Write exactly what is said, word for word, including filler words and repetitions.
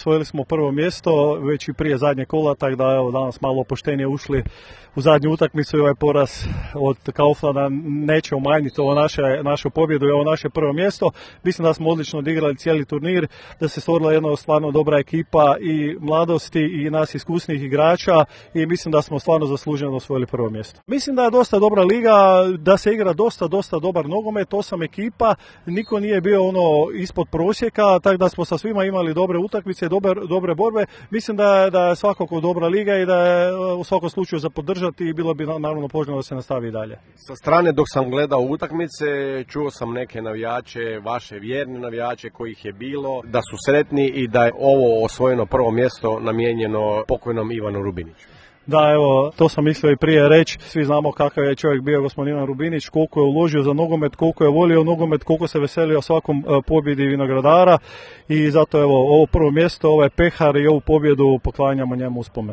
osvojili smo prvo mjesto već i prije zadnje kola, tako da evo danas malo opuštenije ušli u zadnju utakmicu i ovaj poraz od Kauflanda neće umanjiti ovo naše, našu pobjedu i ovo naše prvo mjesto. Mislim da smo odlično odigrali cijeli turnir, da se stvorila jedna stvarno dobra ekipa i mladosti i nas iskusnih igrača i mislim da smo stvarno zasluženo osvojili prvo mjesto. Mislim da je dosta dobra liga, da se igra dosta, dosta dobar nogomet, osam ekipa, niko nije bio ono ispod prosjeka, tako da smo sa svima imali dobre utakmice, dobre, dobre borbe. Mislim da je, da je svakako dobra liga i da je u svakom slučaju za podržati i bilo bi naravno poželjno da se nastavi i dalje. Sa strane dok sam gledao utakmice, čuo sam neke navijače, vaše vjerne navijače kojih je bilo, da su sretni i da je ovo osvojeno prvo mjesto namijenjeno pokojnom Ivanu Rubiniću. Da, evo, to sam mislio i prije reći. Svi znamo kakav je čovjek bio gospodin Ivan Rubinić, koliko je uložio za nogomet, koliko je volio nogomet, koliko se veselio svakom pobjedi vinogradara i zato evo, ovo prvo mjesto, ovaj pehar i ovu pobjedu poklanjamo njemu u spomen.